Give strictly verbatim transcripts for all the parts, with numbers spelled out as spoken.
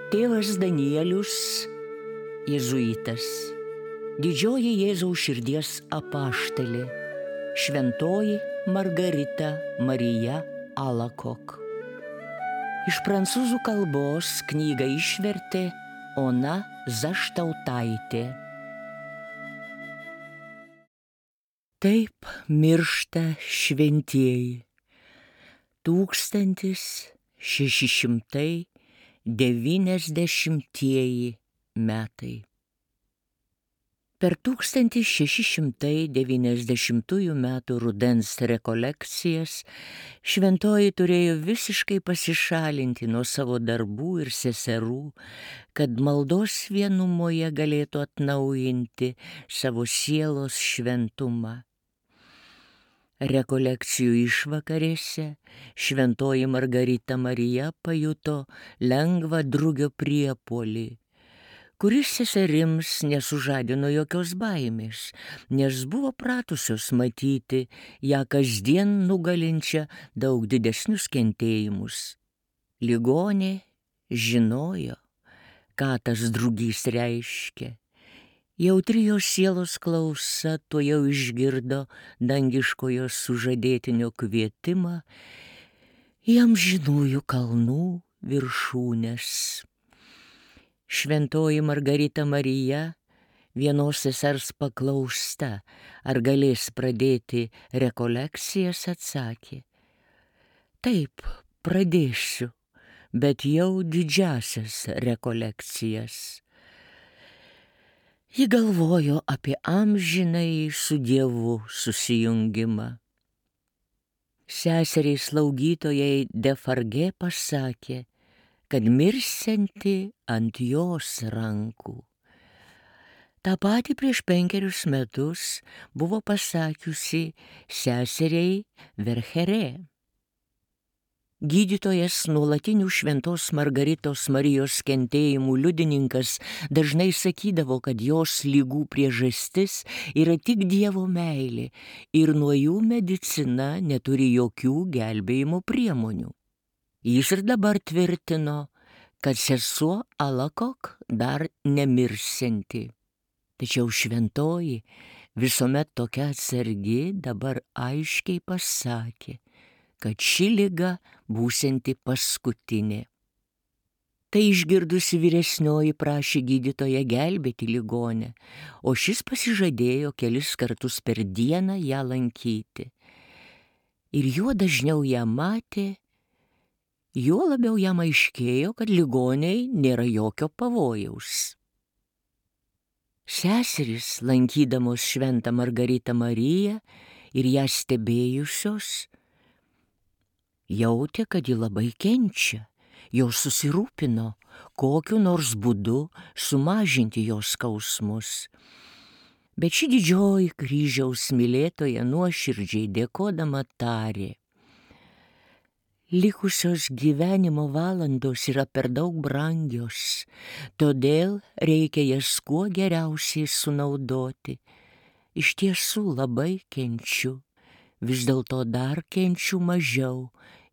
Tėvas Danielius, jėzuitas, didžioji Jėzaus širdies apaštalė, šventoji Margarita Marija Alacoque. Iš prancūzų kalbos knygą išvertė Ona Zaštautaitė. Taip miršta šventieji. Tūkstantis šeši šimtai devyniasdešimtieji metai. Per tūkstantis šeši šimtai devyniasdešimtųjų metų rudens rekolekcijas šventoji turėjo visiškai pasišalinti nuo savo darbų ir seserų, kad maldos vienumoje galėtų atnaujinti savo sielos šventumą. Rekolekcijų išvakarėse šventoji Margarita Marija pajuto lengvą drugio priepuolį, kuris seserims nesužadino jokios baimės, nes buvo pratusios matyti ją kasdien nugalinčią daug didesnius kentėjimus. Ligonė žinojo, ką tas drugys reiškia. Jautri jos sielos klausa tuojau išgirdo dangiškojo sužadėtinio kvietimą į amžinųjų kalnų viršūnes. Šventoji Margarita Marija vienos sesers paklausta, ar galės pradėti rekolekcijas, atsakė: taip, pradėsiu, bet jau didžiasias rekolekcijas. Ji galvojo apie amžinąjį su Dievu susijungimą. Seseriai slaugytojai Defarge pasakė, kad mirsianti ant jos rankų. Ta pati prieš penkerius metus buvo pasakiusi seseriai Verchere. Gydytojas, nuolatinių šventos Margaritos Marijos kentėjimų liudininkas, dažnai sakydavo, kad jos ligų priežastis yra tik Dievo meilė ir nuo jų medicina neturi jokių gelbėjimo priemonių. Jis ir dabar tvirtino, kad sesuo Alacoque dar nemirsianti. Tačiau šventoji, visuomet tokia atsargi, dabar aiškiai pasakė, kad ši liga būsianti paskutinė. Tai išgirdusi vyresnioji prašė gydytoją gelbėti ligonę, o šis pasižadėjo kelis kartus per dieną ją lankyti. Ir juo dažniau ją matė, juo labiau jam aiškėjo, kad ligoniai nėra jokio pavojaus. Seserys, lankydamos šventą Margaritą Mariją ir ją stebėjusios, jautė, kad ji labai kenčia, jos susirūpino, kokiu nors būdu sumažinti jos skausmus. Bet ši didžioji kryžiaus mylėtoja nuoširdžiai dėkodama tarė: likusios gyvenimo valandos yra per daug brangios, todėl reikia jas kuo geriausiai sunaudoti. Iš tiesų labai kenčiu, vis dėlto dar kenčiu mažiau,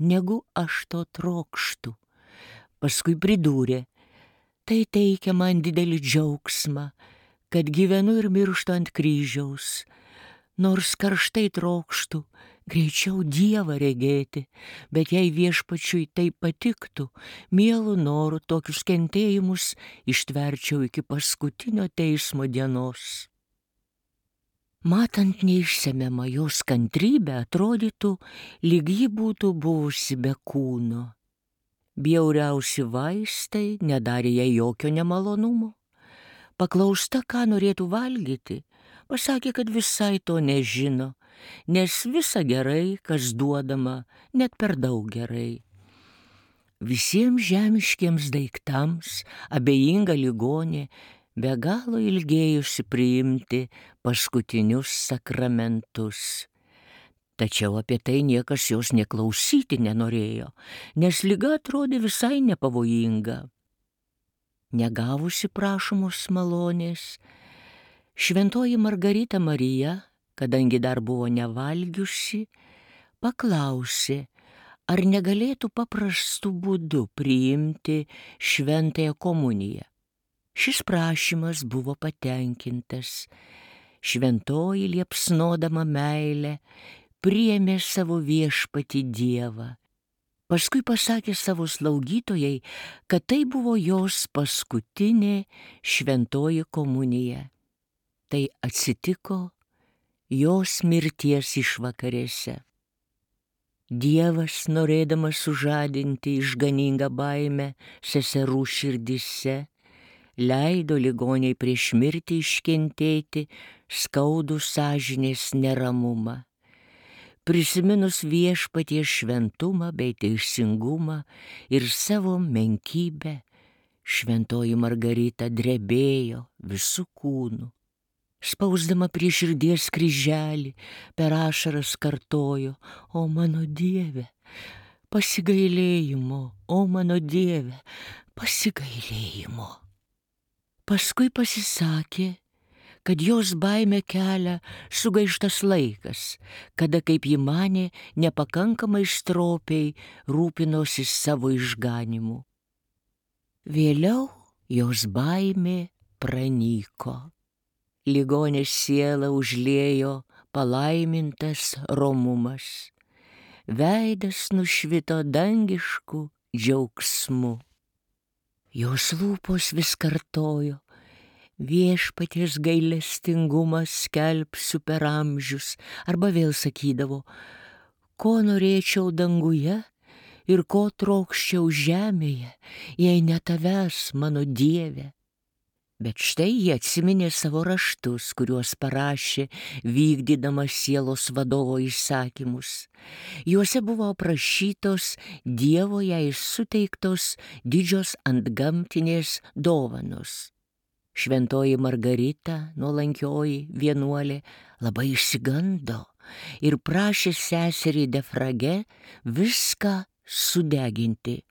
negu aš to trokštu. Paskui pridūrė: tai teikia man didelį džiaugsmą, kad gyvenu ir mirštu ant kryžiaus, nors karštai trokštu greičiau Dievą regėti, bet jei viešpačiui tai patiktų, mielu noru tokius kentėjimus ištverčiau iki paskutinio teismo dienos. Matant neišsemiamą jos kantrybę, atrodytų, lyg ji būtų buvusi be kūno. Bjauriausi vaistai nedarė jai jokio nemalonumo. Paklausta, ką norėtų valgyti, pasakė, kad visai to nežino, nes visa gerai, kas duodama, net per daug gerai. Visiems žemiškiems daiktams abejinga ligonė be galo ilgėjusi priimti paskutinius sakramentus. Tačiau apie tai niekas jos neklausyti nenorėjo, nes liga atrodė visai nepavojinga. Negavusi prašomos malonės, šventoji Margarita Marija, kadangi dar buvo nevalgiusi, paklausė, ar negalėtų paprastu būdu priimti šventąją komuniją. Šis prašymas buvo patenkintas. Šventoji liepsnodama meilę priėmė savo viešpatį Dievą. Paskui pasakė savo slaugytojai, kad tai buvo jos paskutinė šventoji komunija. Tai atsitiko jos mirties išvakarėse. Dievas, norėdamas sužadinti išganingą baimę seserų širdyse, leido ligoniai prieš mirtį iškentėti skaudų sąžinės neramumą. Prisiminus viešpaties šventumą bei teisingumą ir savo menkybę, šventoji Margarita drebėjo visų kūnų. Spausdama prie širdies kryželį, per ašaras kartojo: O mano Dieve, pasigailėjimo, o mano Dieve, pasigailėjimo. Paskui pasisakė, kad jos baimę kelia sugaištas laikas, kada, kaip ji manė, nepakankamai stropiai rūpinosi savo išganimu. Vėliau jos baimė pranyko. Ligonės sielą užliejo palaimintas romumas. Veidas nušvito dangišku džiaugsmu. Jos lūpos vis kartojo: Viešpaties gailestingumas skelbsiu per amžius. Arba vėl sakydavo: Ko norėčiau danguje ir ko trokščiau žemėje, jei ne tavęs, mano Dieve. Bet štai jie atsiminė savo raštus, kuriuos parašė, vykdydama sielos vadovo įsakymus. Juose buvo aprašytos Dievo jai suteiktos didžios antgamtinės dovanos. Šventoji Margarita, nuolankioji vienuolė, labai išsigando ir prašė seserį Defrage viską sudeginti.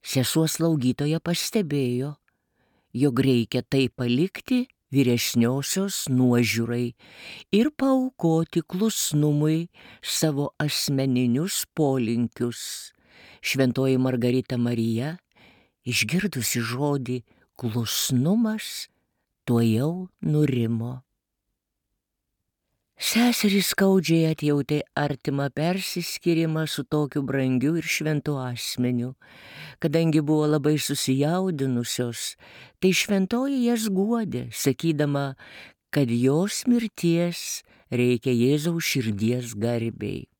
Sesuo slaugytoja pastebėjo, jog reikia tai palikti vyresniosios nuožiūrai ir paaukoti klusnumui savo asmeninius polinkius. Šventoji Margarita Marija, išgirdusi žodį klusnumas, tuojau nurimo. Seserys skaudžiai atjautė artimą persiskyrimą su tokiu brangiu ir šventu asmeniu. Kadangi buvo labai susijaudinusios, tai šventoji jas guodė, sakydama, kad jos mirties reikia Jėzaus širdies garbei.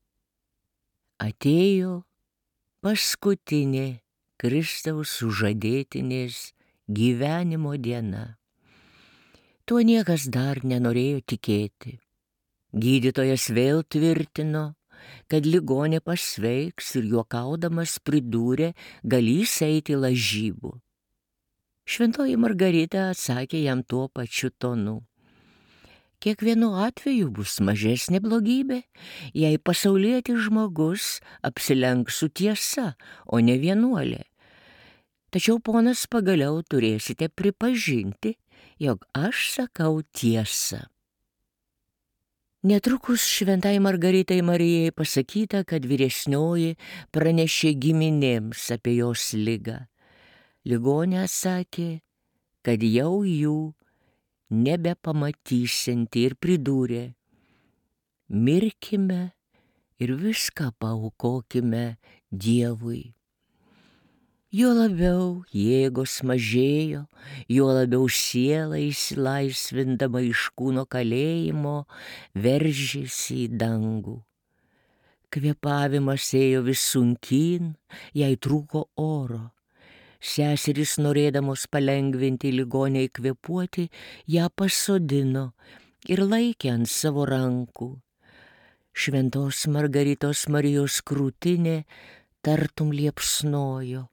Atėjo paskutinė Kristaus sužadėtinės gyvenimo diena. Tuo niekas dar nenorėjo tikėti. Gydytojas vėl tvirtino, kad ligonė pasveiks ir juokaudamas pridūrė, galys eiti lažybų. Šventoji Margarita atsakė jam tuo pačiu tonu: Kiekvienu atveju bus mažesnė blogybė, jei pasaulietis žmogus apsilenks su tiesa, o ne vienuolė. Tačiau, ponas, pagaliau turėsite pripažinti, jog aš sakau tiesą. Netrukus šventai Margaritai Marijai pasakyta, kad vyresnioji pranešė giminėms apie jos ligą. Ligonė sakė, kad jau jų nebepamatysianti ir pridūrė: Mirkime ir viską paaukokime Dievui. Juo labiau jėgos mažėjo, juo labiau siela išsilaisvindama iš kūno kalėjimo veržėsi į dangų. Kvėpavimas ėjo vis sunkyn, jai trūko oro. Seserys, norėdamos palengvinti ligoniai kvėpuoti, ją pasodino ir laikė ant savo rankų. Šventos Margaritos Marijos krūtinė tartum liepsnojo.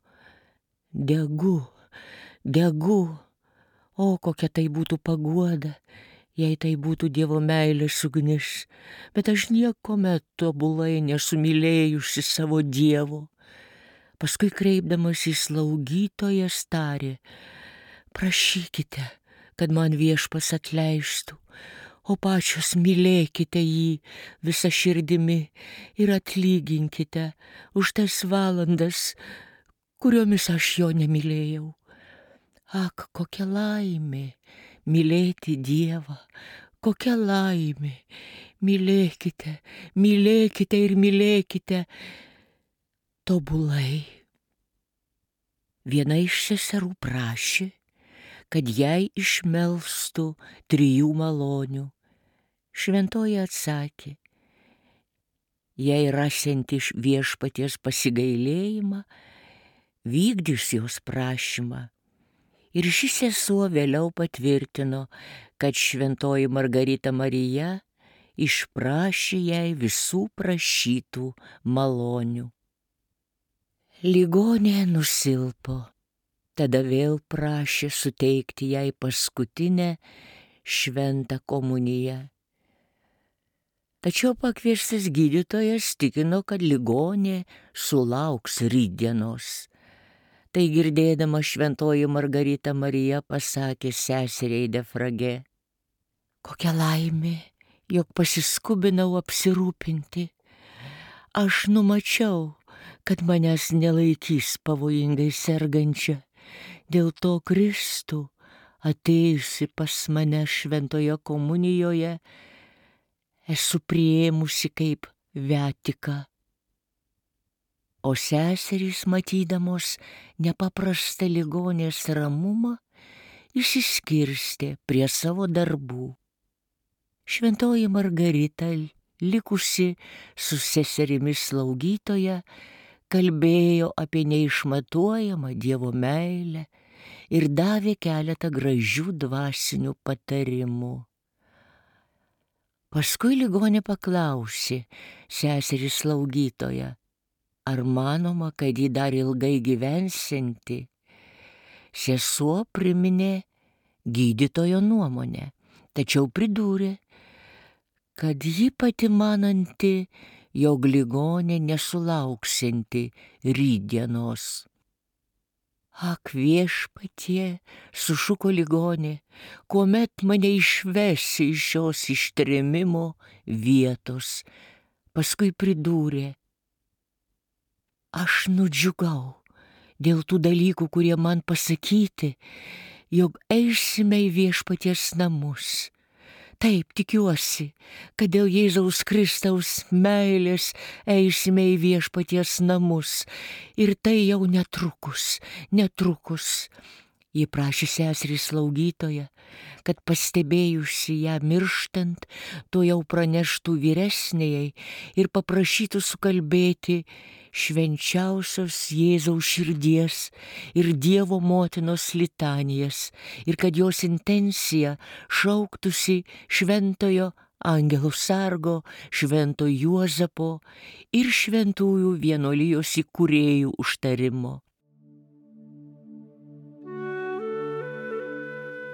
Degu, degu, o kokia tai būtų paguoda, jei tai būtų Dievo meilės ugnis, bet aš niekuomet tobulai nesumylėjusi savo Dievo. Paskui kreipdamas į slaugytojas tarė: Prašykite, kad man viešpas atleistų, o pačios mylėkite jį visą širdimi ir atlyginkite už tas valandas, kuriomis aš jo nemylėjau. Ak, kokia laimė mylėti Dievą, kokia laimė. Mylėkite, mylėkite ir mylėkite tobulai. Viena iš seserų prašė, kad jai išmelstų trijų malonių. Šventoji atsakė, jei rasianti iš viešpaties pasigailėjimą, vykdys jos prašymą. Ir ši sesuo vėliau patvirtino, kad šventoji Margarita Marija išprašė jai visų prašytų malonių. Ligonė nusilpo, tada vėl prašė suteikti jai paskutinę šventą komuniją. Tačiau pakviestas gydytojas tikino, kad ligonė sulauks rytdienos. Tai girdėdama šventoji Margarita Marija pasakė seseriai Defrage, kokia laimė, jog pasiskubinau apsirūpinti. Aš numačiau, kad manęs nelaikys pavojingai sergančia. Dėl to Kristų, atėjusi pas mane šventoje komunijoje, esu priėmusi kaip viatiką. O seserys, matydamos nepaprastą ligonės ramumą, išsiskirstė prie savo darbų. Šventoji Margarita, likusi su seserimis slaugytoja, kalbėjo apie neišmatuojamą Dievo meilę ir davė keletą gražių dvasinių patarimų. Paskui ligonė paklausė seserį slaugytoją, ar manoma, kad ji dar ilgai gyvensianti. Sesuo priminė gydytojo nuomonę, tačiau pridūrė, kad ji pati mananti, jog ligonė nesulauksianti rytdienos. Ak, viešpatie, sušuko ligonė, kuomet mane išvesi iš šios ištrėmimo vietos. Paskui pridūrė, aš nudžiugau dėl tų dalykų, kurie man pasakyti, jog eisime į viešpaties namus. Taip, tikiuosi, kad dėl Jėzaus Kristaus meilės eisime į viešpaties namus. Ir tai jau netrukus, netrukus. Ji prašė seserį slaugytoją, kad pastebėjusi ją mirštant, to jau praneštų vyresnėjai ir paprašytų sukalbėti švenčiausios Jėzaus širdies ir Dievo motinos litanijas ir kad jos intencija šauktųsi šventojo angelų sargo, švento Juozapo ir šventųjų vienuolijos įkūrėjų užtarimo.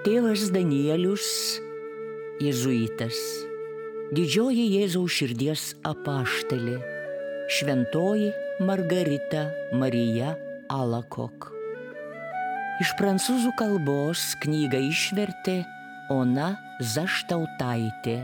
Tėvas Danielius, jėzuitas, didžioji Jėzaus širdies apaštalė, šventoji Margarita Marija Alakok. Iš prancūzų kalbos knygą išvertė Ona Zaštautaitė.